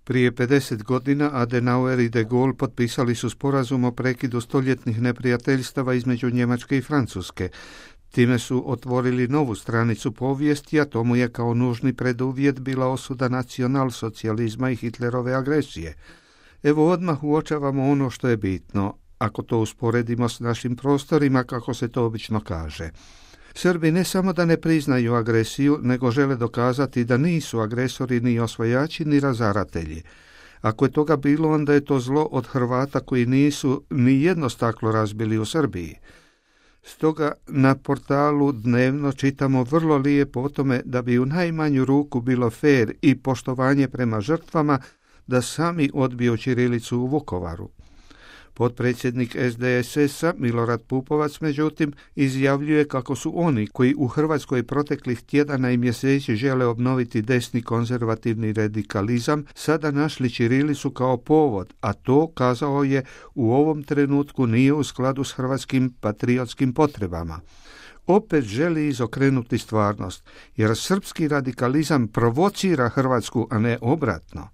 Prije 50 godina Adenauer i de Gaulle potpisali su sporazum o prekidu stoljetnih neprijateljstava između Njemačke i Francuske. Time su otvorili novu stranicu povijesti, a tomu je kao nužni preduvjet bila osuda nacionalsocijalizma i Hitlerove agresije. Evo odmah uočavamo ono što je bitno, ako to usporedimo s našim prostorima, kako se to obično kaže. Srbi ne samo da ne priznaju agresiju, nego žele dokazati da nisu agresori ni osvajači ni razaratelji. Ako je toga bilo, onda je to zlo od Hrvata koji nisu ni jedno staklo razbili u Srbiji. Stoga na portalu dnevno čitamo vrlo lijepo o tome da bi u najmanju ruku bilo fer i poštovanje prema žrtvama da sami odbiju ćirilicu u Vukovaru. Potpredsjednik SDSS-a Milorad Pupovac, međutim, izjavljuje kako su oni koji u Hrvatskoj proteklih tjedana i mjeseci žele obnoviti desni konzervativni radikalizam, sada našli ćirilicu kao povod, a to, kazao je, u ovom trenutku nije u skladu s hrvatskim patriotskim potrebama. Opet želi izokrenuti stvarnost, jer srpski radikalizam provocira Hrvatsku, a ne obratno.